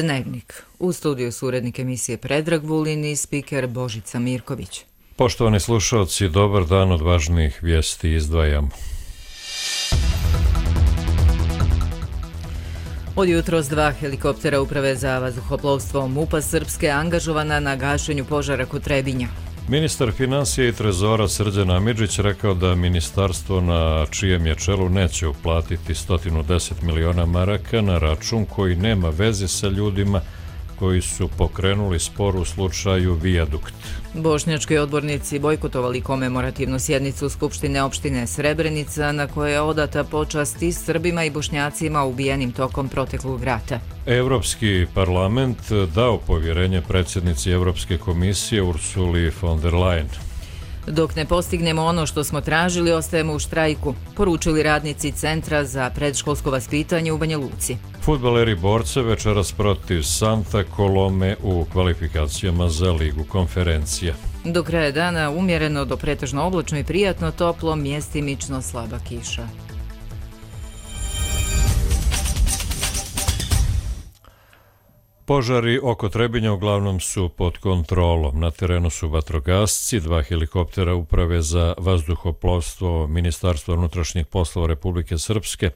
Dnevnik. U studiju su urednik emisije Predrag Vulin i spiker Božica Mirković. Poštovani slušalci, dobar dan, od važnijih vijesti izdvajamo. Od jutros 2 helikoptera Uprave za vazduhoplovstvo MUP-a Srpske angažovana na gašenju požara kod Trebinja. Ministar financija i trezora Srđan Amidžić rekao da ministarstvo na čijem je čelu neće uplatiti 110 miliona maraka na račun koji nema veze sa ljudima koji su pokrenuli spor u slučaju Vijadukt. Bošnjački odbornici bojkotovali komemorativnu sjednicu Skupštine opštine Srebrenica na kojoj je odata počast i Srbima i Bošnjacima ubijenim tokom proteklog rata. Europski parlament dao povjerenje predsjednici Europske komisije Ursuli von der Leyen. Dok ne postignemo ono što smo tražili, ostajemo u štrajku, poručili radnici Centra za predškolsko vaspitanje u Banja Luci. Fudbaleri Borce večeras protiv Santa Colome u kvalifikacijama za Ligu konferencija. Do kraja dana umjereno do pretežno oblačno i prijatno, toplo, mjestimično slaba kiša. Požari oko Trebinja uglavnom su pod kontrolom. Na terenu su vatrogasci, 2 helikoptera Uprave za vazduhoplovstvo Ministarstva unutrašnjih poslova Republike Srpske,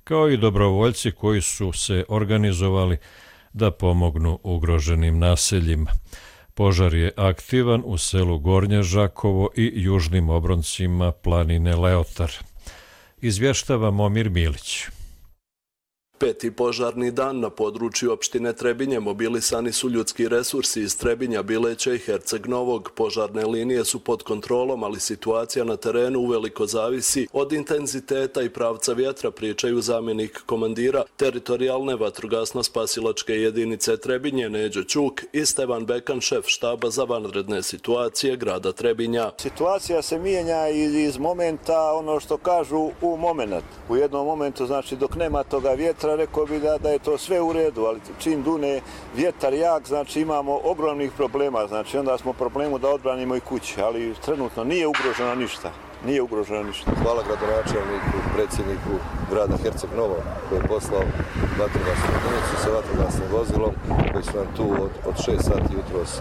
kao i dobrovoljci koji su se organizovali da pomognu ugroženim naseljima. Požar je aktivan u selu Gornje Žakovo i južnim obroncima planine Leotar. Izvještava Momir Milić. Peti požarni dan na području opštine Trebinje mobilisani su ljudski resursi iz Trebinja, Bileća i Herceg Novog. Požarne linije su pod kontrolom, ali situacija na terenu uveliko zavisi od intenziteta i pravca vjetra, pričaju zamjenik komandira teritorijalne vatrogasno-spasilačke jedinice Trebinje Neđo Ćuk i Stevan Bekan, šef štaba za vanredne situacije grada Trebinja. Situacija se mijenja iz momenta, ono što kažu, u moment. U jednom momentu, znači dok nema toga vjetra, rekao bi da je to sve u redu, ali čim dune vjetar jak, znači imamo ogromnih problema, znači onda smo problemu da odbranimo i kuće, ali trenutno nije ugroženo ništa. Hvala gradonačelniku, predsjedniku grada Herceg Novog koji je poslao vatrogasnu jedinicu sa vatrogasnim vozilom koji su nam tu od 6 sati jutros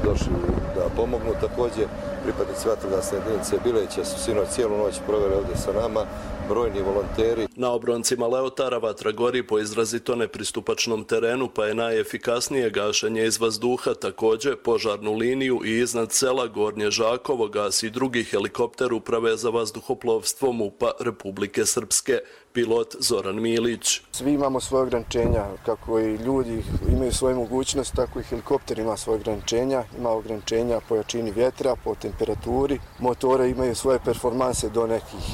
došli da pomognu. Također pripadnici vatrogasne jedinice Bileća su sinoć cijelu noć proveli ovdje sa nama, brojni volonteri. Na obroncima Leotara vatra gori po izrazito nepristupačnom terenu, pa je najefikasnije gašenje iz vazduha. Također požarnu liniju i iznad sela Gornje Žakovo gasi drugi helikopter Uprave za vazduhoplovstvo MUP-a Republike Srpske, pilot Zoran Milić. Svi imamo svoje ograničenja, kako i ljudi imaju svoje mogućnosti, tako i helikopter ima svoje ograničenja. Ima ograničenja po jačini vjetra, po temperaturi. Motori imaju svoje performanse do nekih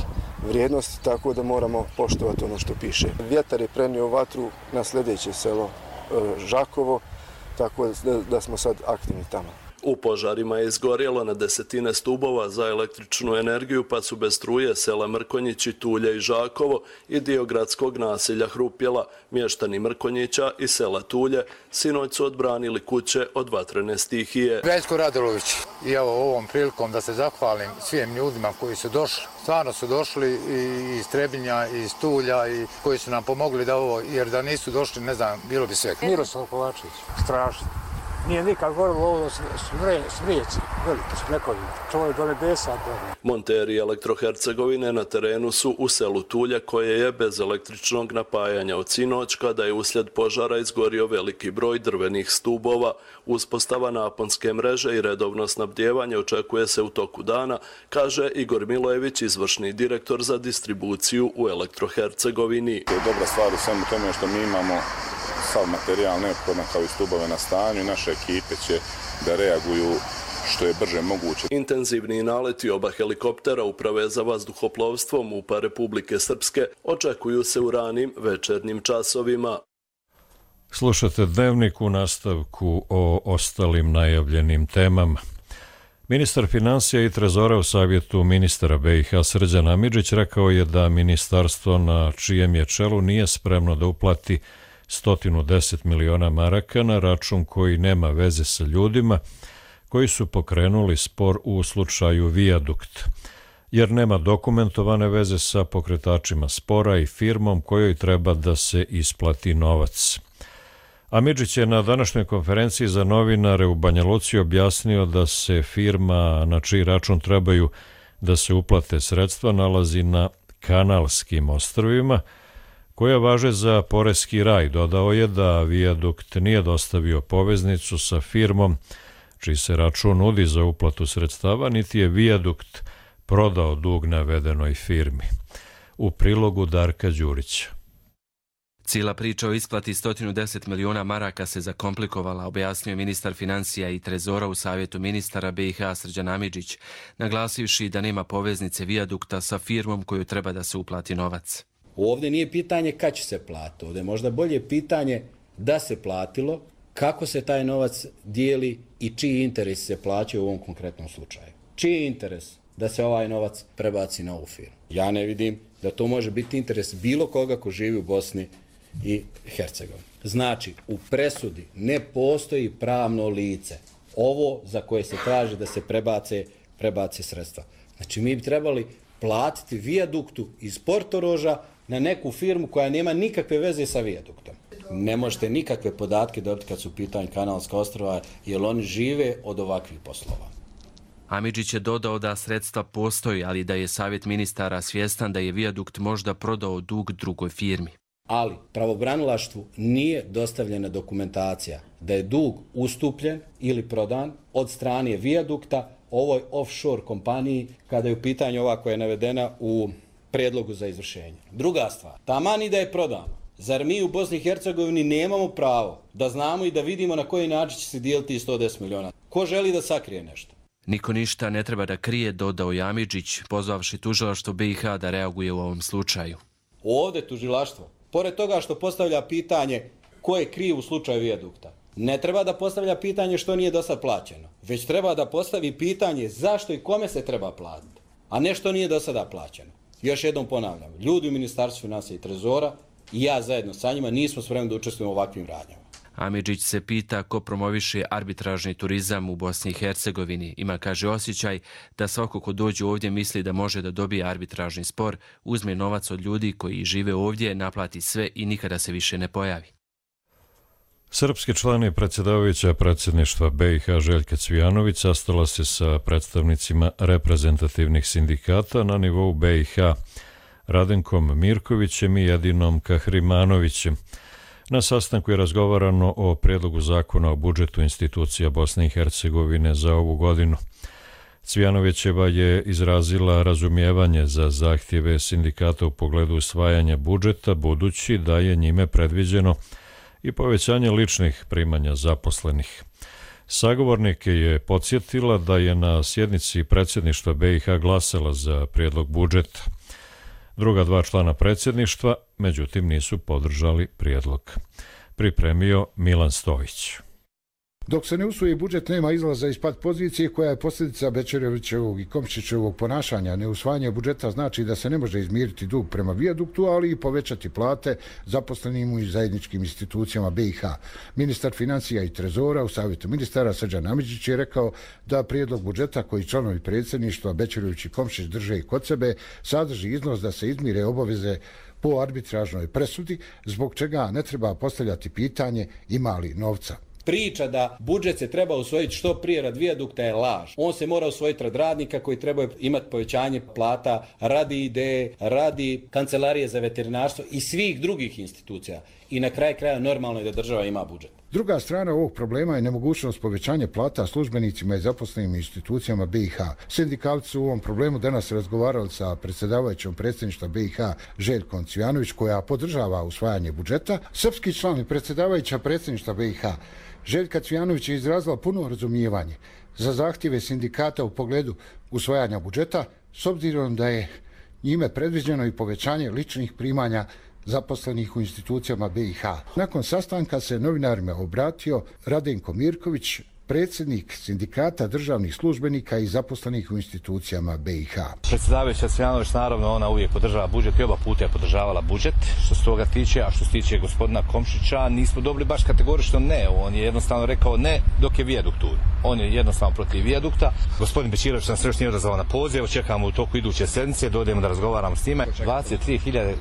vrijednosti, tako da moramo poštovati ono što piše. Vjetar je prenio vatru na sljedeće selo Žakovo, tako da smo sad aktivni tamo. U požarima je izgorjelo na desetine stubova za električnu energiju, pa su bez struje sela Mrkonjići, Tulje i Žakovo i dio gradskog naselja Hrupjela. Mještani Mrkonjića i sela Tulje sinoć su odbranili kuće od vatrene stihije. Veljko Radulović, i evo ovom prilikom da se zahvalim svim ljudima koji su došli. Stvarno su došli i iz Trebinja, i iz Tulja, i koji su nam pomogli da ovo, jer da nisu došli, ne znam, bilo bi sve. Miroslav Kovačević, strašno. Nije nikad gorilo ovo smrijeci, veliki su nekovi, čovjek do nebesa. Monteri Elektrohercegovine na terenu su u selu Tulje, koje je bez električnog napajanja od sinoć, kada je uslijed požara izgorio veliki broj drvenih stubova. Uspostava naponske mreže i redovno snabdijevanje očekuje se u toku dana, kaže Igor Milojević, izvršni direktor za distribuciju u Elektrohercegovini. To je dobra stvar u svemu tome što mi imamo sav materijal neophodan kao i stubove na stanju i naše ekipe će da reaguju što je brže moguće. Intenzivni naleti oba helikoptera Uprave za vazduhoplovstvo MUP-a Republike Srpske očekuju se u ranim večernjim časovima. Slušate Dnevnik, u nastavku o ostalim najavljenim temama. Ministar financija i trezora u savjetu ministara BiH Srđan Amidžić rekao je da ministarstvo na čijem je čelu nije spremno da uplati 110 miliona maraka na račun koji nema veze sa ljudima koji su pokrenuli spor u slučaju Vijadukt, jer nema dokumentovane veze sa pokretačima spora i firmom kojoj treba da se isplati novac. Amidžić je na današnjoj konferenciji za novinare u Banja Luci objasnio da se firma na čiji račun trebaju da se uplate sredstva nalazi na Kanalskim ostrvima, koja važe za poreski raj. Dodao je da Vijadukt nije dostavio poveznicu sa firmom čiji se račun nudi za uplatu sredstava, niti je Vijadukt prodao dug navedenoj firmi. U prilogu Darka Đurića. Cijela priča o isplati 110 miliona maraka se zakomplikovala, objasnio ministar financija i trezora u savjetu ministara BiH Srđan Amidžić, naglasivši da nema poveznice Vijadukta sa firmom koju treba da se uplati novac. Ovdje nije pitanje kad će se platiti, ovdje je možda bolje pitanje da se platilo, kako se taj novac dijeli i čiji interes se plaćaju u ovom konkretnom slučaju. Čiji je interes da se ovaj novac prebaci na ovu firmu? Ja ne vidim da to može biti interes bilo koga ko živi u Bosni i Hercegovini. Znači, u presudi ne postoji pravno lice. Ovo za koje se traži da se prebace sredstva. Znači, mi bi trebali platiti Vijaduktu iz Portoroža na neku firmu koja nema nikakve veze sa Vijaduktom. Ne možete nikakve podatke dobiti kad su u pitanju Kanalska ostrva, jer oni žive od ovakvih poslova. Amidžić je dodao da sredstva postoji, ali da je savjet ministara svjestan da je Vijadukt možda prodao dug drugoj firmi. Ali pravobranilaštvu nije dostavljena dokumentacija da je dug ustupljen ili prodan od strane Vijadukta ovoj offshore kompaniji kada je u pitanju ova koja je navedena u prijedlogu za izvršenje. Druga stvar, taman i da je prodano, zar mi u Bosni i Hercegovini nemamo pravo da znamo i da vidimo na koji način će se dijeliti 110 miliona? Ko želi da sakrije nešto? Niko ništa ne treba da krije, dodao je Amidžić, pozvavši tužilaštvo BiH da reaguje u ovom slučaju. Ovdje tužilaštvo, pored toga što postavlja pitanje ko je kriv u slučaju Vijadukta, ne treba da postavlja pitanje što nije do sad plaćeno, već treba da postavi pitanje zašto i kome se treba platiti, a ne što nije do sada plaćeno. Još jednom ponavljam, ljudi u Ministarstvu financija i trezora i ja zajedno sa njima nismo spremni da učestvujemo u ovakvim radnjama. Amidžić se pita ko promoviše arbitražni turizam u Bosni i Hercegovini. Ima, kaže, osjećaj da svako ko dođe ovdje misli da može da dobije arbitražni spor, uzme novac od ljudi koji žive ovdje, naplati sve i nikada se više ne pojavi. Srpski član i predsjedavajuća predsjedništva BiH Željka Cvijanović sastala se sa predstavnicima reprezentativnih sindikata na nivou BiH Radenkom Mirkovićem i Edinom Kahrimanovićem. Na sastanku je razgovarano o prijedlogu zakona o budžetu institucija Bosne i Hercegovine za ovu godinu. Cvijanovićeva je izrazila razumijevanje za zahtjeve sindikata u pogledu usvajanja budžeta, budući da je njime predviđeno i povećanje ličnih primanja zaposlenih. Sagovornike je podsjetila da je na sjednici predsjedništva BiH glasala za prijedlog budžeta. Druga dva člana predsjedništva, međutim, nisu podržali prijedlog. Pripremio Milan Stojić. Dok se ne usvoji budžet, nema izlaza iz pat pozicije koja je posljedica Bećarovićevog i Komšićevog ponašanja. Neusvajanje budžeta znači da se ne može izmiriti dug prema Vijaduktu, ali i povećati plate zaposlenim u zajedničkim institucijama BiH. Ministar financija i trezora u savjetu ministara Srđan Amidžić je rekao da prijedlog budžeta koji članovi predsjedništva Bećarović i Komšić drže i kod sebe sadrži iznos da se izmire obaveze po arbitražnoj presudi, zbog čega ne treba postavljati pitanje ima li novca. Priča da budžet se treba usvojiti što prije rad Vijadukta je laž. On se mora usvojiti rad radnika koji treba imati povećanje plata radi ideje, radi kancelarije za veterinarstvo i svih drugih institucija. I na kraj kraja normalno je da država ima budžet. Druga strana ovog problema je nemogućnost povećanja plata službenicima i zaposlenim institucijama BiH. Sindikalci su u ovom problemu danas razgovarali sa predsjedavajućom predsjedništva BiH Željkom Cvijanović, koja podržava usvajanje budžeta. Srpski član i predsjedavajuća predsjedništva BiH Željka Cvijanović je izrazila puno razumijevanje za zahtjeve sindikata u pogledu usvajanja budžeta, s obzirom da je njime predviđeno i povećanje ličnih primanja zaposlenih u institucijama BiH. Nakon sastanka se novinarima obratio Radenko Mirković, predsjednik sindikata državnih službenika i zaposlenih u institucijama BiH. Predsjedavajuća Cvijanović, naravno, ona uvijek podržava budžet i oba puta je podržavala budžet što se toga tiče, a što se tiče gospodina Komšića nismo dobili baš kategorično ne. On je jednostavno rekao ne dok je vijadukt tu. On je jednostavno protiv vijadukta. Gospodin Bečirović nam se još nije odazvao na poziv, čekamo u toku iduće sedmice, dođemo da razgovaramo s njima. 23.000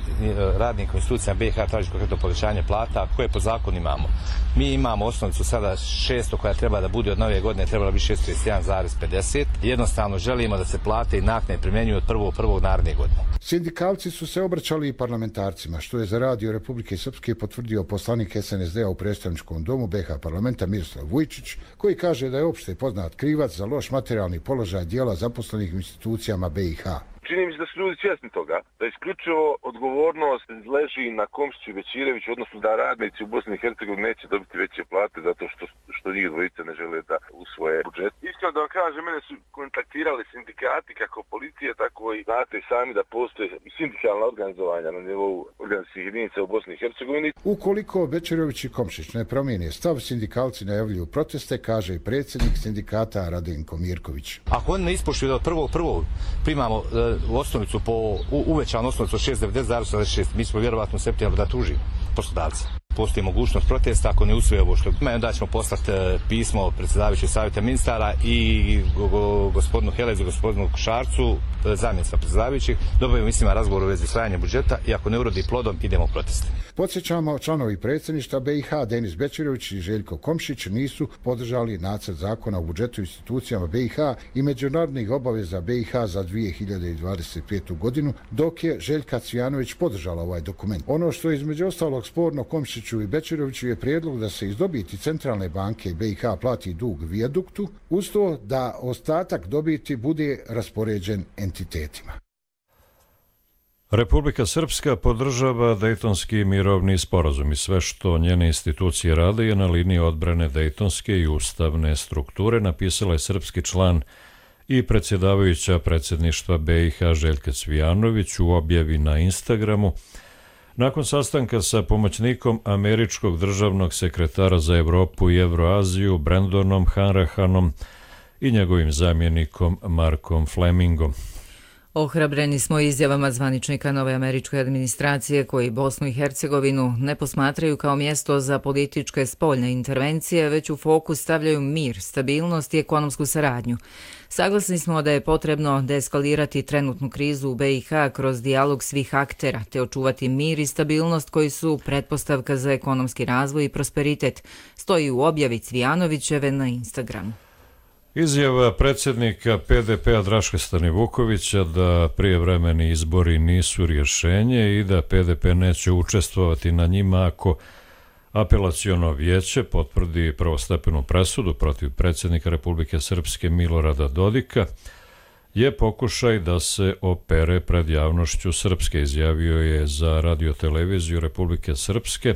radnika u institucijama BiH traži konkretno povećanje plata koje po zakonu imamo. Mi imamo osnovicu sada 600 koja treba da bude od nove godine, trebala bi 631,50. Jednostavno želimo da se plate i naknade primjenjuju od 1.1. naredne godine. Sindikalci su se obraćali i parlamentarcima, što je za Radio Republike Srpske potvrdio poslanik SNSD-a u predstavničkom domu BiH parlamenta Miroslav Vujčić, koji kaže da je opšte poznat krivac za loš materijalni položaj dijela zaposlenih u institucijama BiH. Čini mi se da su ljudi svjesni toga, da isključivo odgovornost leži na Komšiću i Bečireviću, odnosno da radnici u Bosni i Hercegovini neće dobiti veće plate zato što njih dvojice ne žele da usvoje budžet. Iskreno da vam kažem, mene su kontaktirali sindikati kako policije, tako i znate sami da postoje sindikalna organizovanja na nivou organizacijskih jedinica u Bosni i Hercegovini. Ukoliko Bečirević i Komšić ne promijene stav, sindikalci najavljuju proteste, kaže i predsjednik sindikata Radenko Mirković. Ako oni ne ispoštuju da od 1.1. primamo osnovicu uvećanu osnovicu 6,90,86, mi smo vjerovatno u septembru da tužimo poslodavca. Postoji mogućnost protesta ako ne usvoje ovo što ima, onda ćemo poslati pismo predsjedavajućeg savjeta ministara i gospodinu Helezu, gospodinu Šarcu, zamjenica predsjedavajućih, dobijemo mislima razgovor u vezi usvajanja budžeta i ako ne urodi plodom idemo u proteste. Podsjećamo, članovi predsjedništva BiH Denis Bečirović i Željko Komšić nisu podržali nacrt zakona o budžetu institucijama BiH i međunarodnih obaveza BiH za 2025. godinu, dok je Željka Cvijanović podržala ovaj dokument. Ono što je između ostalog sporno Komšiću i Bečiroviću je prijedlog da se iz dobiti Centralne banke BiH plati dug vijaduktu, uz to da ostatak dobiti bude raspoređen entitetima. Republika Srpska podržava Dejtonski mirovni sporazum i sve što njene institucije rade je na liniji odbrane dejtonske i ustavne strukture, napisala je srpski član i predsjedavajuća predsjedništva BiH Željka Cvijanović u objavi na Instagramu nakon sastanka sa pomoćnikom američkog državnog sekretara za Evropu i Evroaziju Brandonom Hanrahanom i njegovim zamjenikom Markom Flemingom. Ohrabreni smo izjavama zvaničnika nove američke administracije koji Bosnu i Hercegovinu ne posmatraju kao mjesto za političke spoljne intervencije, već u fokus stavljaju mir, stabilnost i ekonomsku saradnju. Saglasni smo da je potrebno deeskalirati trenutnu krizu u BiH kroz dijalog svih aktera, te očuvati mir i stabilnost koji su pretpostavka za ekonomski razvoj i prosperitet, stoji u objavi Cvijanovićeve na Instagramu. Izjava predsjednika PDP-a Draška Stanivukovića da prijevremeni izbori nisu rješenje i da PDP neće učestvovati na njima ako apelaciono vijeće potvrdi prvostepenu presudu protiv predsjednika Republike Srpske Milorada Dodika je pokušaj da se opere pred javnošću Srpske, izjavio je za radioteleviziju Republike Srpske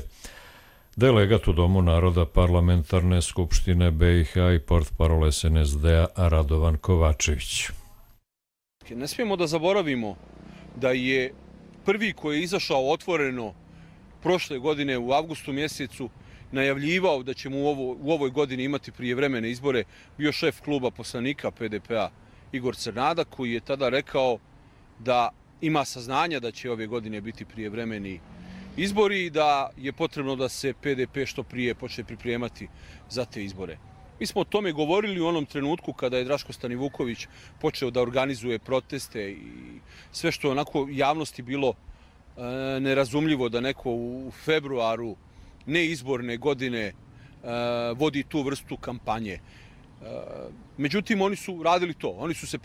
delegat u Domu naroda Parlamentarne skupštine BiH i portparol SNSD-a Radovan Kovačević. Ne smijemo da zaboravimo da je prvi koji je izašao otvoreno prošle godine u avgustu mjesecu najavljivao da ćemo u ovoj godini imati prijevremene izbore bio šef kluba poslanika PDP-a Igor Crnada, koji je tada rekao da ima saznanja da će ove godine biti prijevremeni izbori i da je potrebno da se PDP što prije počne pripremati za te izbore. Mi smo o tome govorili u onom trenutku kada je Draško Stanivuković počeo da organizuje proteste i sve što onako javnosti bilo nerazumljivo da neko u februaru neizborne godine vodi tu vrstu kampanje. Međutim, oni su radili to. Oni su se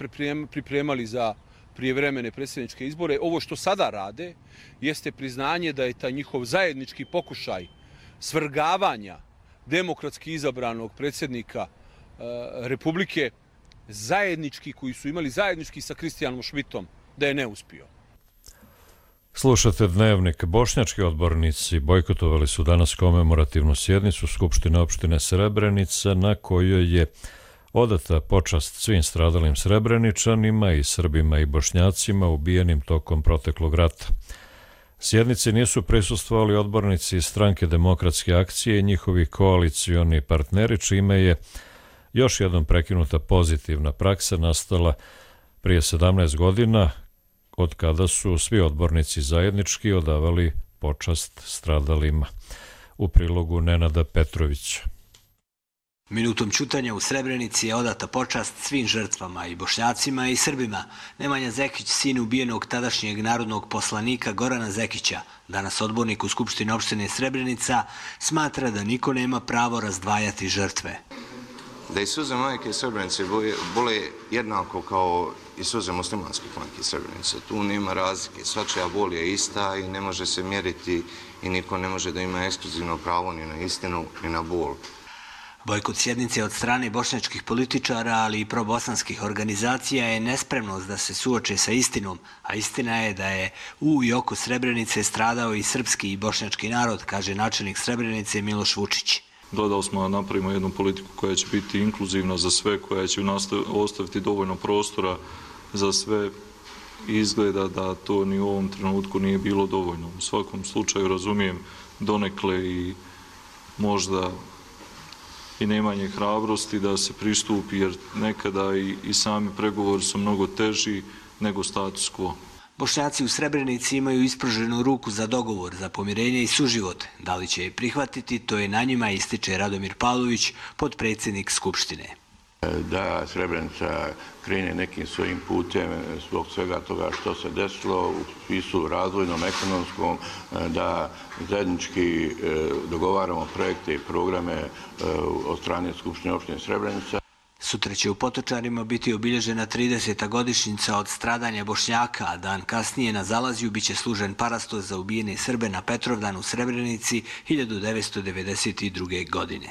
pripremali za prijevremene predsjedničke izbore. Ovo što sada rade jeste priznanje da je taj njihov zajednički pokušaj svrgavanja demokratski izabranog predsjednika Republike zajednički, koji su imali zajednički sa Kristijanom Šmitom, da je neuspio. Slušate Dnevnik. Bošnjački odbornici bojkotovali su danas komemorativnu sjednicu Skupštine opštine Srebrenica na kojoj je odata počast svim stradalim Srebreničanima i Srbima i Bošnjacima ubijenim tokom proteklog rata. Sjednici nisu prisustvovali odbornici iz Stranke demokratske akcije i njihovi koalicioni partneri, čime je još jednom prekinuta pozitivna praksa nastala prije 17 godina, od kada su svi odbornici zajednički odavali počast stradalima. U prilogu Nenada Petrovića. Minutom ćutanja u Srebrenici je odata počast svim žrtvama, i Bošnjacima i Srbima. Nemanja Zekić, sin ubijenog tadašnjeg narodnog poslanika Gorana Zekića, danas odbornik u Skupštini opštine Srebrenica, smatra da niko nema pravo razdvajati žrtve. Da i suze majke Srebrenice bole jednako kao i suze muslimanskih majke Srebrenice. Tu nema razlike, svačija bol je ista i ne može se mjeriti i niko ne može da ima ekskluzivno pravo ni na istinu ni na bol. Bojkot sjednice od strane bošnjačkih političara, ali i probosanskih organizacija je nespremnost da se suoče sa istinom, a istina je da je u i oko Srebrenice stradao i srpski i bošnjački narod, kaže načelnik Srebrenice Miloš Vučić. Gledali smo da napravimo jednu politiku koja će biti inkluzivna za sve, koja će ostaviti dovoljno prostora za sve. Izgleda da to ni u ovom trenutku nije bilo dovoljno. U svakom slučaju razumijem donekle i možda i nemanje hrabrosti da se pristupi, jer nekada i sami pregovori su mnogo teži nego status quo. Bošnjaci u Srebrenici imaju ispruženu ruku za dogovor, za pomirenje i suživot. Da li će je prihvatiti, to je na njima, ističe Radomir Pavlović, potpredsjednik Skupštine. Da Srebrenica krene nekim svojim putem zbog svega toga što se desilo u smislu razvojnom, ekonomskom, da zajednički dogovaramo projekte i programe od strane Skupštine opštine Srebrenica. Sutra će u Potočarima biti obilježena 30. godišnjica od stradanja Bošnjaka, a dan kasnije na Zalazju biće služen parastos za ubijene Srbe na Petrovdan u Srebrenici 1992. godine.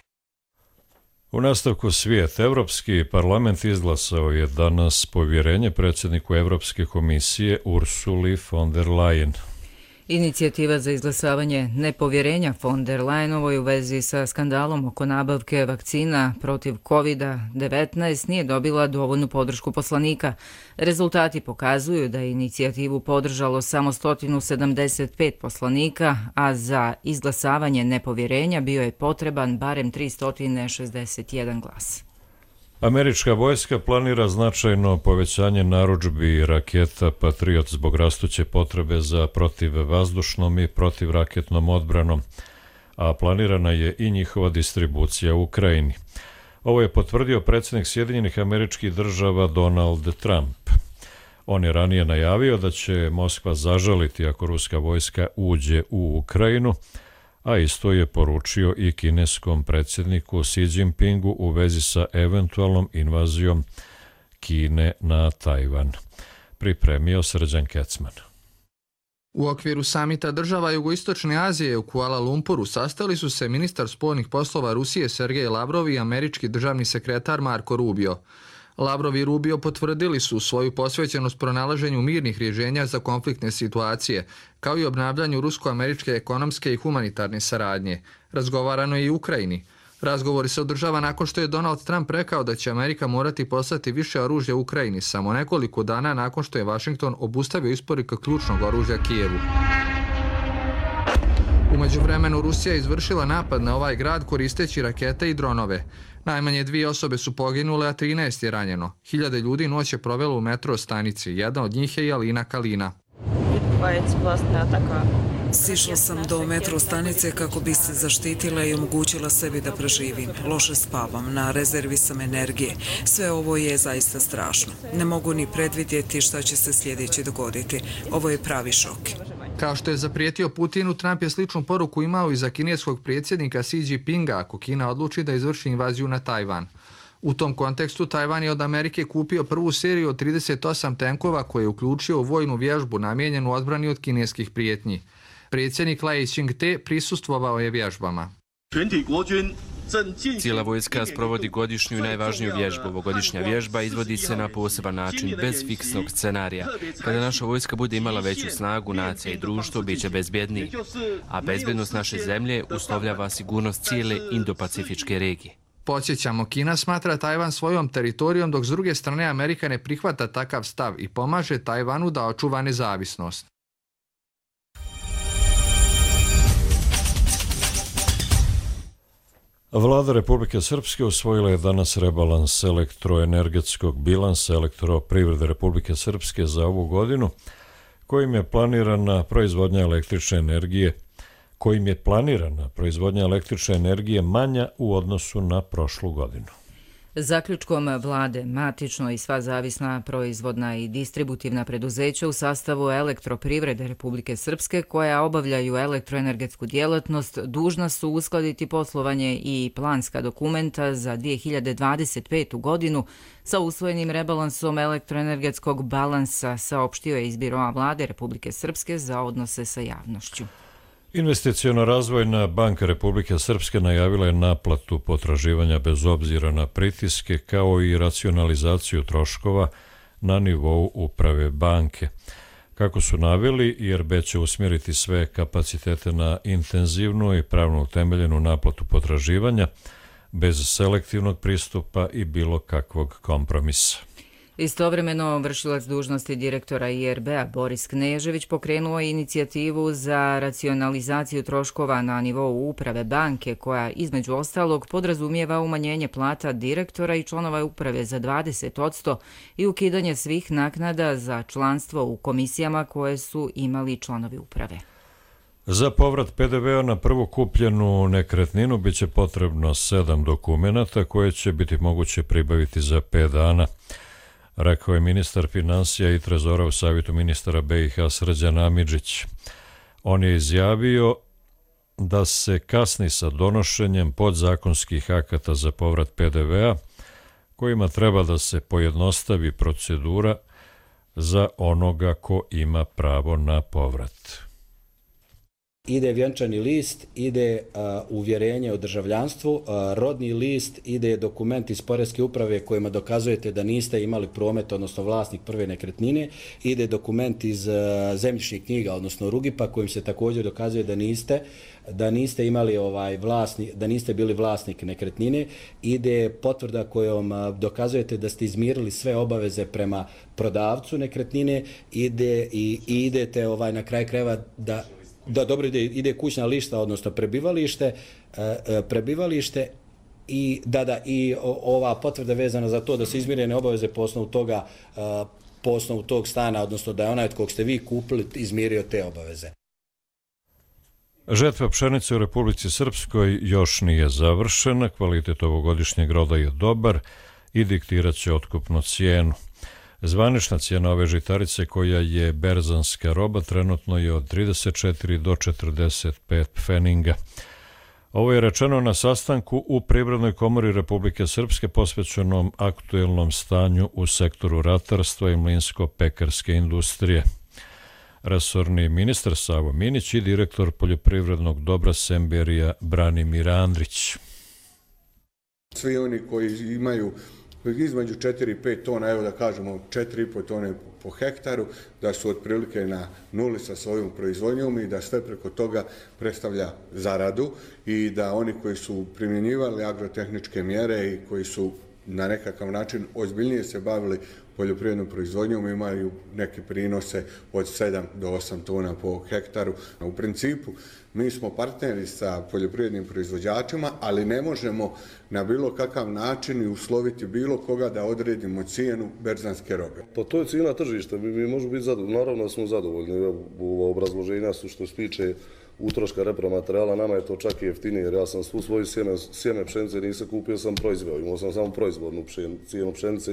U nastavku svijet, Evropski parlament izglasao je danas povjerenje predsjedniku Evropske komisije Ursuli von der Leyen. Inicijativa za izglasavanje nepovjerenja von der Leyenovoj u vezi sa skandalom oko nabavke vakcina protiv COVID-19 nije dobila dovoljnu podršku poslanika. Rezultati pokazuju da je inicijativu podržalo samo 175 poslanika, a za izglasavanje nepovjerenja bio je potreban barem 361 glas. Američka vojska planira značajno povećanje narudžbi raketa Patriot zbog rastuće potrebe za protivvazdušnom i protivraketnom odbranom, a planirana je i njihova distribucija u Ukrajini. Ovo je potvrdio predsjednik Sjedinjenih Američkih Država Donald Trump. On je ranije najavio da će Moskva zažaliti ako ruska vojska uđe u Ukrajinu, a isto je poručio i kineskom predsjedniku Xi Jinpingu u vezi sa eventualnom invazijom Kine na Tajvan. Pripremio Srđan Kecman. U okviru samita država Jugoistočne Azije u Kuala Lumpuru sastali su se ministar spoljnih poslova Rusije Sergej Lavrov i američki državni sekretar Marko Rubio. Lavrov i Rubio potvrdili su svoju posvećenost pronalaženju mirnih rješenja za konfliktne situacije, kao i obnavljanju rusko-američke ekonomske i humanitarne saradnje. Razgovarano je i u Ukrajini. Razgovori se održava nakon što je Donald Trump rekao da će Amerika morati poslati više oružja u Ukrajini, samo nekoliko dana nakon što je Washington obustavio isporuku ključnog oružja Kijevu. U međuvremenu Rusija je izvršila napad na ovaj grad koristeći rakete i dronove. Najmanje 2 osobe su poginule, a 13 je ranjeno. Hiljade ljudi noć je provelo u metro stanici. Jedna od njih je i Alina Kalina. Sišla sam do metro stanice kako bi se zaštitila i omogućila sebi da preživim. Loše spavam, na rezervi sam energije. Sve ovo je zaista strašno. Ne mogu ni predvidjeti šta će se sljedeće dogoditi. Ovo je pravi šok. Kao što je zaprijetio Putinu, Trump je sličnu poruku imao i za kineskog predsjednika Xi Jinpinga ako Kina odluči da izvrši invaziju na Tajvan. U tom kontekstu Tajvan je od Amerike kupio prvu seriju od 38 tenkova koje je uključio u vojnu vježbu namijenjenu odbrani od kineskih prijetnji. Predsjednik Lai Ching-te prisustvovao je vježbama. Cijela vojska sprovodi godišnju i najvažniju vježbu. Ovogodišnja vježba izvodi se na poseban način, bez fiksnog scenarija. Kada naša vojska bude imala veću snagu, nacija i društvo bit će bezbjedniji. A bezbjednost naše zemlje uslovljava sigurnost cijele Indo-Pacifičke regije. Podsjećamo, Kina smatra Tajvan svojom teritorijom, dok s druge strane Amerika ne prihvata takav stav i pomaže Tajvanu da očuva nezavisnost. Vlada Republike Srpske usvojila je danas rebalans elektroenergetskog bilansa elektroprivrede Republike Srpske za ovu godinu, kojim je planirana proizvodnja električne energije manja u odnosu na prošlu godinu. Zaključkom vlade, matično i sva zavisna proizvodna i distributivna preduzeća u sastavu elektroprivrede Republike Srpske koja obavljaju elektroenergetsku djelatnost dužna su uskladiti poslovanje i planska dokumenta za 2025. godinu sa usvojenim rebalansom elektroenergetskog balansa, saopštio je iz Biroa vlade Republike Srpske za odnose sa javnošću. Investiciono-razvojna banka Republike Srpske najavila je naplatu potraživanja bez obzira na pritiske kao i racionalizaciju troškova na nivou uprave banke. Kako su naveli, IRB će usmjeriti sve kapacitete na intenzivnu i pravno utemeljenu naplatu potraživanja bez selektivnog pristupa i bilo kakvog kompromisa. Istovremeno, vršilac dužnosti direktora IRB-a Boris Knežević pokrenuo je inicijativu za racionalizaciju troškova na nivou uprave banke, koja između ostalog podrazumijeva umanjenje plata direktora i članova uprave za 20% i ukidanje svih naknada za članstvo u komisijama koje su imali članovi uprave. Za povrat PDV-a na prvu kupljenu nekretninu biće potrebno 7 dokumenata koje će biti moguće pribaviti za 5 dana. Rekao je ministar finansija i trezora u Savjetu ministara BiH Srđan Amidžić. On je izjavio da se kasni sa donošenjem podzakonskih akata za povrat PDV-a, kojima treba da se pojednostavi procedura za onoga ko ima pravo na povrat. Ide vjenčani list, ide uvjerenje o državljanstvu, rodni list, ide dokument iz Poreske uprave kojima dokazujete da niste imali promet, odnosno vlasnik prve nekretnine, ide dokument iz zemljišnih knjiga, odnosno Rugipa, kojim se također dokazuje da niste imali da niste bili vlasnik nekretnine, ide potvrda kojom dokazujete da ste izmirili sve obaveze prema prodavcu nekretnine, idete na kraj krajeva da dobro ide kućna lista, odnosno prebivalište i i ova potvrda vezana za to da su izmirene obaveze po osnovu tog stana, odnosno da je onaj od kog ste vi kupili izmirio te obaveze. Žetva pšenice u Republici Srpskoj još nije završena, kvalitet ovogodišnjeg roda je dobar i diktirat će otkupnu cijenu. Zvanična cijena ove žitarice, koja je berzanska roba, trenutno je od 34 do 45 pfeninga. Ovo je rečeno na sastanku u Privrednoj komori Republike Srpske posvećenom aktuelnom stanju u sektoru ratarstva i mlinsko-pekarske industrije. Resorni ministar Savo Minić i direktor poljoprivrednog dobra Semberija Branimir Andrić. Svi oni koji imaju između 4 i 5 tona, evo da kažemo 4,5 tone po hektaru, da su otprilike na nuli sa svojom proizvodnjom i da sve preko toga predstavlja zaradu i da oni koji su primjenjivali agrotehničke mjere i koji su na nekakav način ozbiljnije se bavili poljoprivrednom proizvodnjom imaju neke prinose od 7 do 8 tona po hektaru. U principu, mi smo partneri sa poljoprivrednim proizvođačima, ali ne možemo na bilo kakav način i usloviti bilo koga da odredimo cijenu berzanske robe. Pa to je cijena tržišta, mi možemo biti zadovoljni, naravno da smo zadovoljni. U obrazloženja su što se tiče utroška repromaterijala, nama je to čak i jeftinije, jer ja sam svu svoju sjeme pšenice nisam kupio, sam proizveo, imao sam samo proizvodnu cijenu pšenice,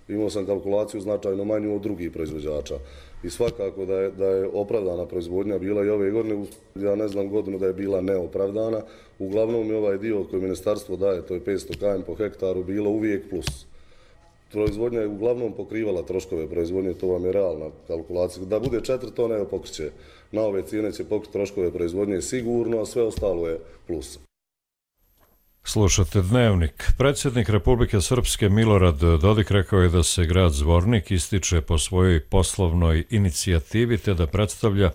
imao sam kalkulaciju značajno manju od drugih proizvođača. I svakako da je opravdana proizvodnja bila i ove godine, ja ne znam godinu da je bila neopravdana, uglavnom je ovaj dio koji ministarstvo daje, to je 500 km po hektaru, bilo uvijek plus. Proizvodnja je uglavnom pokrivala troškove proizvodnje, to vam je realna kalkulacija. Da bude 4 tone, evo pokriće. Na ove cijene će pokriti troškove proizvodnje sigurno, a sve ostalo je plus. Slušate Dnevnik. Predsjednik Republike Srpske Milorad Dodik rekao je da se grad Zvornik ističe po svojoj poslovnoj inicijativi te da predstavlja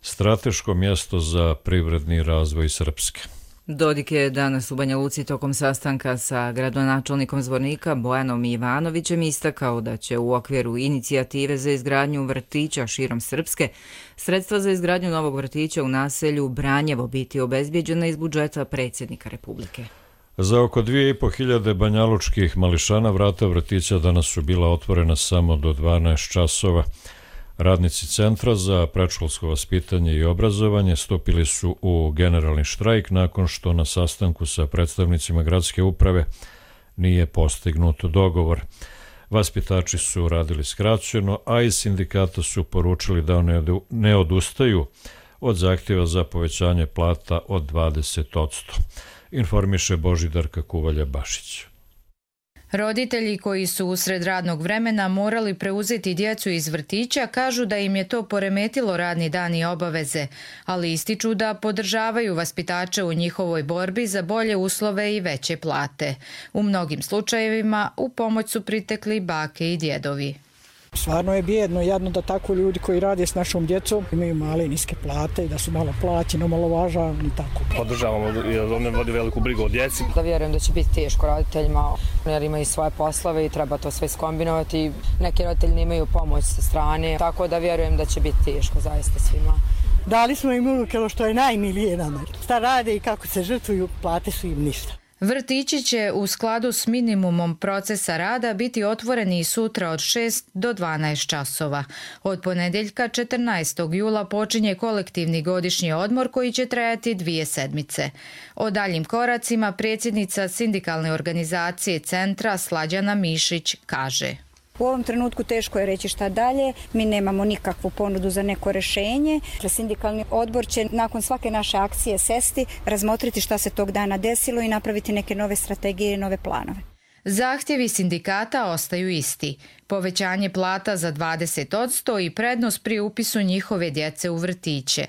strateško mjesto za privredni razvoj Srpske. Dodik je danas u Banja Luci tokom sastanka sa gradonačelnikom Zvornika Bojanom Ivanovićem istakao da će u okviru inicijative za izgradnju vrtića širom Srpske sredstva za izgradnju novog vrtića u naselju Branjevo biti obezbjeđena iz budžeta predsjednika Republike. Za oko 2500 banjalučkih mališana vrata vrtića danas su bila otvorena samo do 12 časova. Radnici Centra za predškolsko vaspitanje i obrazovanje stupili su u generalni štrajk nakon što na sastanku sa predstavnicima gradske uprave nije postignut dogovor. Vaspitači su radili skraćeno, a iz sindikata su poručili da ne odustaju od zahtjeva za povećanje plata od 20%. Informiše Božidarka Kuvalja-Bašić. Roditelji koji su usred radnog vremena morali preuzeti djecu iz vrtića kažu da im je to poremetilo radni dan i obaveze, ali ističu da podržavaju vaspitače u njihovoj borbi za bolje uslove i veće plate. U mnogim slučajevima u pomoć su pritekli bake i djedovi. Stvarno je bijedno, jadno da tako ljudi koji rade s našom djecom imaju male niske plate i da su malo plaćeni, omalovažavani i tako. Podržavamo jer one vodi veliku brigu o djeci. Da vjerujem da će biti teško roditeljima jer imaju svoje poslove i treba to sve skombinovati. Neki roditelji nemaju pomoć sa strane, tako da vjerujem da će biti teško zaista svima. Dali smo im unuke što je najmilije nama. Šta rade i kako se žrtvuju, plate su im ništa. Vrtići će u skladu s minimumom procesa rada biti otvoreni i sutra od 6 do 12 časova. Od ponedjeljka 14. jula počinje kolektivni godišnji odmor koji će trajati 2 sedmice. O daljim koracima predsjednica sindikalne organizacije Centra Slađana Mišić kaže: U ovom trenutku teško je reći šta dalje, mi nemamo nikakvu ponudu za neko rješenje. Sindikalni odbor će nakon svake naše akcije sesti, razmotriti šta se tog dana desilo i napraviti neke nove strategije i nove planove. Zahtjevi sindikata ostaju isti. Povećanje plata za 20% i prednost pri upisu njihove djece u vrtiće.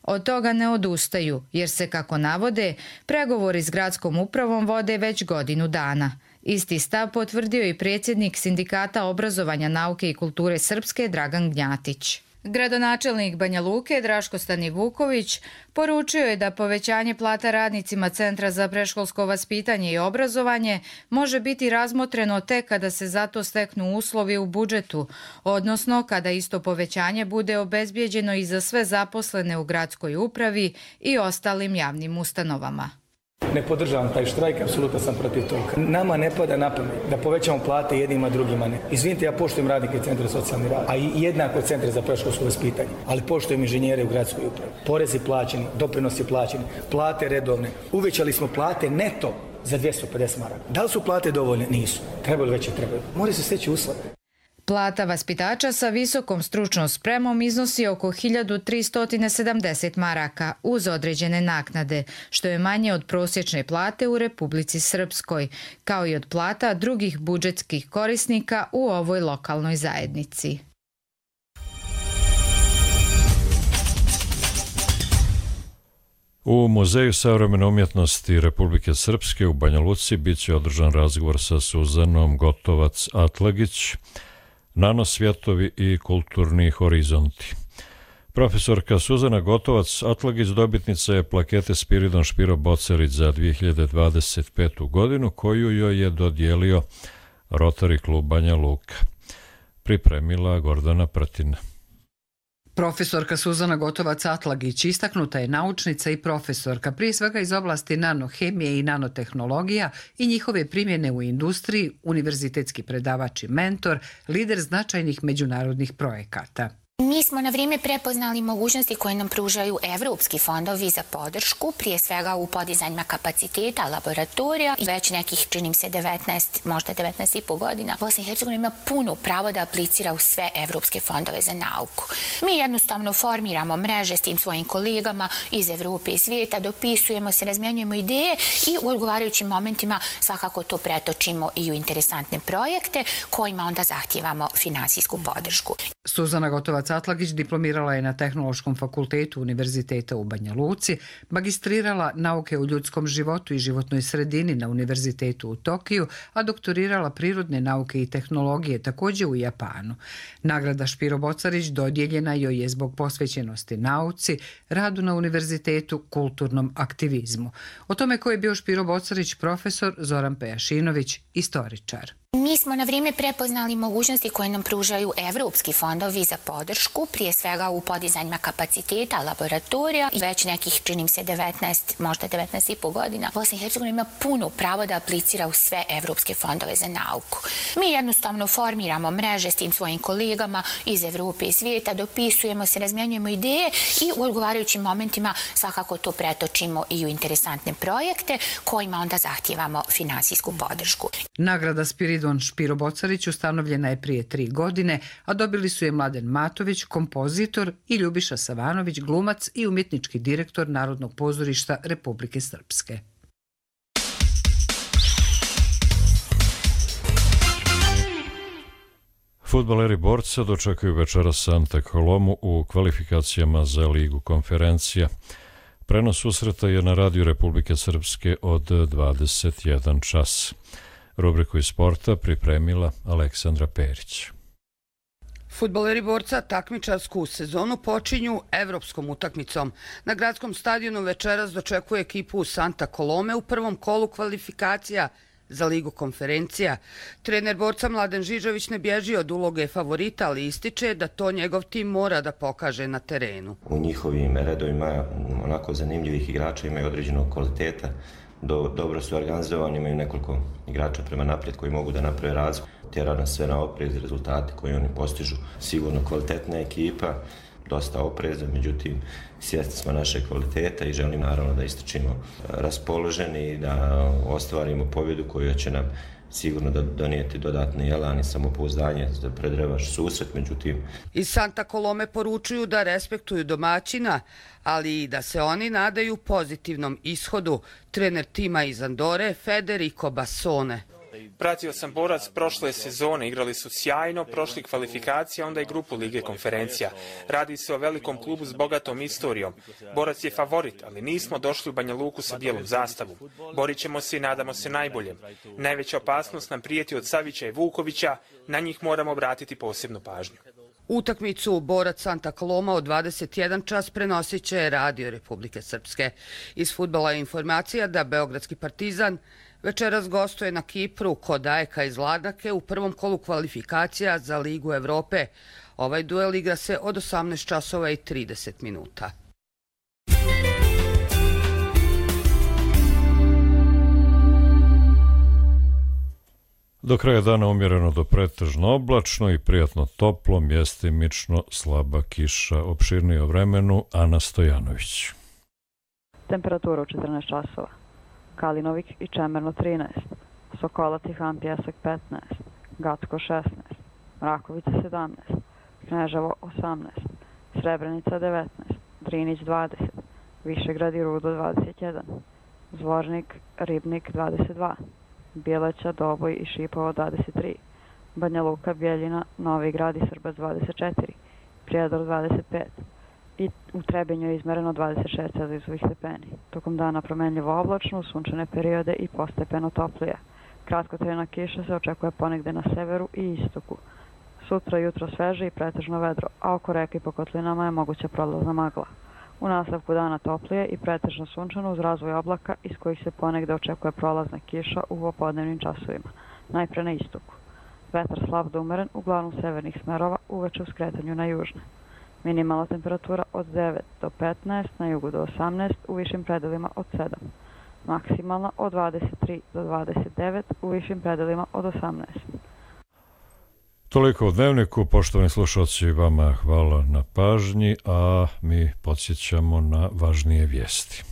Od toga ne odustaju, jer se, kako navode, pregovori s gradskom upravom vode već godinu dana. Isti stav potvrdio i predsjednik Sindikata obrazovanja, nauke i kulture Srpske Dragan Gnjatić. Gradonačelnik Banja Luke Draško Stanivuković poručio je da povećanje plata radnicima Centra za predškolsko vaspitanje i obrazovanje može biti razmotreno tek kada se za to steknu uslovi u budžetu, odnosno kada isto povećanje bude obezbijeđeno i za sve zaposlene u gradskoj upravi i ostalim javnim ustanovama. Ne podržavam taj štrajk, apsolutno sam protiv toga. Nama ne pada na pamet da povećamo plate jednima, drugima ne. Izvinite, ja poštujem radnike Centra socijalni rad, a i jednako Centra za predškolsko vaspitanje, ali poštujem inženjere u gradskoj upravi. Porezi plaćeni, doprinosi plaćeni, plate redovne. Uvećali smo plate neto za 250 maraka. Da li su plate dovoljne? Nisu. Trebaju veće, trebaju. Moraju se steći uslovi. Plata vaspitača sa visokom stručnom spremom iznosi oko 1370 maraka uz određene naknade, što je manje od prosječne plate u Republici Srpskoj, kao i od plata drugih budžetskih korisnika u ovoj lokalnoj zajednici. U Muzeju savremene umjetnosti Republike Srpske u Banja Luci bit će održan razgovor sa Suzanom Gotovac-Atlagić, Nanosvjetovi i kulturni horizonti. Profesorka Suzana Gotovac-Atlagić dobitnica je plakete Spiridon Špiro Bocelić za 2025. godinu koju joj je dodijelio Rotary klub Banja Luka. Pripremila Gordana Pratina. Profesorka Suzana Gotovac-Atlagić istaknuta je naučnica i profesorka, prije svega iz oblasti nanohemije i nanotehnologija i njihove primjene u industriji, univerzitetski predavač i mentor, lider značajnih međunarodnih projekata. Mi smo na vrijeme prepoznali mogućnosti koje nam pružaju evropski fondovi za podršku, prije svega u podizanjima kapaciteta laboratorija. Već nekih, činim se, 19, možda 19,5 godina, Bosna i Hercegovina ima puno pravo da aplicira u sve evropske fondove za nauku. Mi jednostavno formiramo mreže s tim svojim kolegama iz Evrope i svijeta, dopisujemo se, razmjenjujemo ideje i u odgovarajućim momentima svakako to pretočimo i u interesantne projekte kojima onda zahtijevamo finansijsku podršku. Suzana Gotovac Atlagić diplomirala je na Tehnološkom fakultetu Univerziteta u Banja Luci, magistrirala nauke o ljudskom životu i životnoj sredini na Univerzitetu u Tokiju, a doktorirala prirodne nauke i tehnologije također u Japanu. Nagrada Špiro Bocarić dodijeljena joj je zbog posvećenosti nauci, radu na univerzitetu, kulturnom aktivizmu. O tome ko je bio Špiro Bocarić profesor Zoran Pejašinović, istoričar. Mi smo na vrijeme prepoznali mogućnosti koje nam pružaju evropski fondovi za podršku, prije svega u podizanjima kapaciteta laboratorija. Već nekih, činim se, 19, možda 19,5 godina, Bosna i Hercegovina ima puno pravo da aplicira u sve evropske fondove za nauku. Mi jednostavno formiramo mreže s tim svojim kolegama iz Evrope i svijeta, dopisujemo se, razmjenjujemo ideje i u odgovarajućim momentima svakako to pretočimo i u interesantne projekte kojima onda zahtijevamo finansijsku podršku. Nagrada Spiridon Špiro Bocarić ustanovljena je prije 3 godine, a dobili su je Mladen Matović, kompozitor, i Ljubiša Savanović, glumac i umjetnički direktor Narodnog pozorišta Republike Srpske. Fudbaleri Borca dočekaju večeras Santa Colomu u kvalifikacijama za Ligu konferencija. Prenos susreta je na radiju Republike Srpske od 21 čas. Rubriku iz sporta pripremila Aleksandra Perić. Fudbaleri Borca takmičarsku sezonu počinju evropskom utakmicom. Na gradskom stadionu večeras dočekuje ekipu Santa Colome u prvom kolu kvalifikacija za Ligu konferencija. Trener Borca Mladen Žižović ne bježi od uloge favorita, ali ističe da to njegov tim mora da pokaže na terenu. U njihovim redovima onako zanimljivih igrača, imaju određenog kvaliteta, dobro su organizovani, imaju nekoliko igrača prema naprijed koji mogu da naprave razliku. Tjera nas sve na oprez, rezultate koje oni postižu. Sigurno kvalitetna ekipa, dosta opreza, međutim svjesni smo naše kvaliteta i želim naravno da istrčimo raspoloženi i da ostvarimo pobjedu koja će nam sigurno donijeti dodatni elan i samopouzdanje za predrevaš susret, međutim... Iz Santa Colome poručuju da respektuju domaćina, ali i da se oni nadaju pozitivnom ishodu. Trener tima iz Andore, Federico Bassone. Pratio sam Borac prošle sezone, igrali su sjajno, prošli kvalifikacija, onda i grupu Lige konferencija. Radi se o velikom klubu s bogatom istorijom. Borac je favorit, ali nismo došli u Banja Luku sa bijelom zastavom. Borit ćemo se i nadamo se najboljem. Najveća opasnost nam prijeti od Savića i Vukovića, na njih moramo obratiti posebnu pažnju. Utakmicu Borac Santa Coloma od 21 čas prenosit će Radio Republike Srpske. Iz fudbala je informacija da Beogradski Partizan večeras gostuje na Kipru kod AEK iz Larnake u prvom kolu kvalifikacija za Ligu Evrope. Ovaj duel igra se od 18 časova i 30 minuta. Do kraja dana umjereno do pretežno oblačno i prijatno toplo, mjestimično slaba kiša. Opširnije o vremenu Ana Stojanović. Temperatura u 14 časova. Kalinovik i Čemerno 13, Sokolac i Han Pjesak 15, Gacko 16, Mrakovica 17, Kneževo 18, Srebrenica 19, Drinić 20, Višegrad i Rudo 21, Zvornik, Ribnik 22, Bjeleća, Doboj i Šipovo 23, Banja Luka, Bjeljina, Novi Grad i Srbac 24, Prijedor 25, i u Trebinju je izmereno 26 celzijusovih stepeni. Tokom dana promenljivo oblačno, sunčane periode i postepeno toplije. Kratkotrajna kiša se očekuje ponegde na severu i istoku. Sutra jutro sveže i pretežno vedro, a oko reke i po kotlinama je moguća prolazna magla. U nastavku dana toplije i pretežno sunčano uz razvoj oblaka iz kojih se ponegde očekuje prolazna kiša u popodnevnim časovima, najpre na istoku. Vetar slab do umeren, uglavnom severnih smerova, uveče u skretanju na južne. Minimalna temperatura od 9 do 15, na jugu do 18, u višim predelima od 7. Maksimalna od 23 do 29, u višim predelima od 18. Toliko u Dnevniku, poštovani slušalci, vama hvala na pažnji, a mi podsjećamo na važnije vijesti.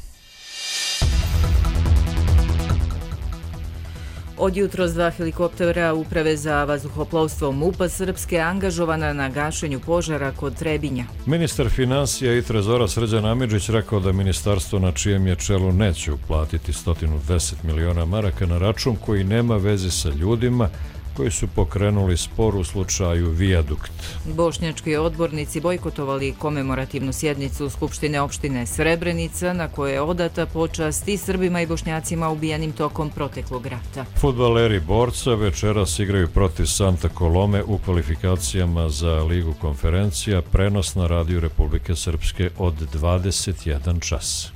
Od jutros 2 helikoptera Uprave za vazduhoplovstvo MUP-a Srpske angažovana na gašenju požara kod Trebinja. Ministar financija i trezora Srđan Amidžić rekao da ministarstvo na čijem je čelu neće uplatiti 110 miliona maraka na račun koji nema veze sa ljudima, koji su pokrenuli spor u slučaju Vijadukt. Bošnjački odbornici bojkotovali komemorativnu sjednicu Skupštine opštine Srebrenica na kojoj je odata počast i Srbima i Bošnjacima ubijanim tokom proteklog rata. Fudbaleri Borca večeras igraju protiv Santa Colome u kvalifikacijama za Ligu konferencija, prenos na radiju Republike Srpske od 21 čas.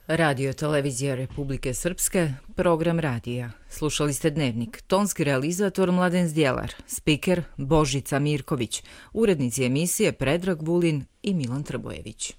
Radio televizija Republike Srpske, program radija. Slušali ste Dnevnik. Tonski realizator Mladen Zdjelar, spiker Božica Mirković, urednici emisije Predrag Vulin i Milan Trbojević.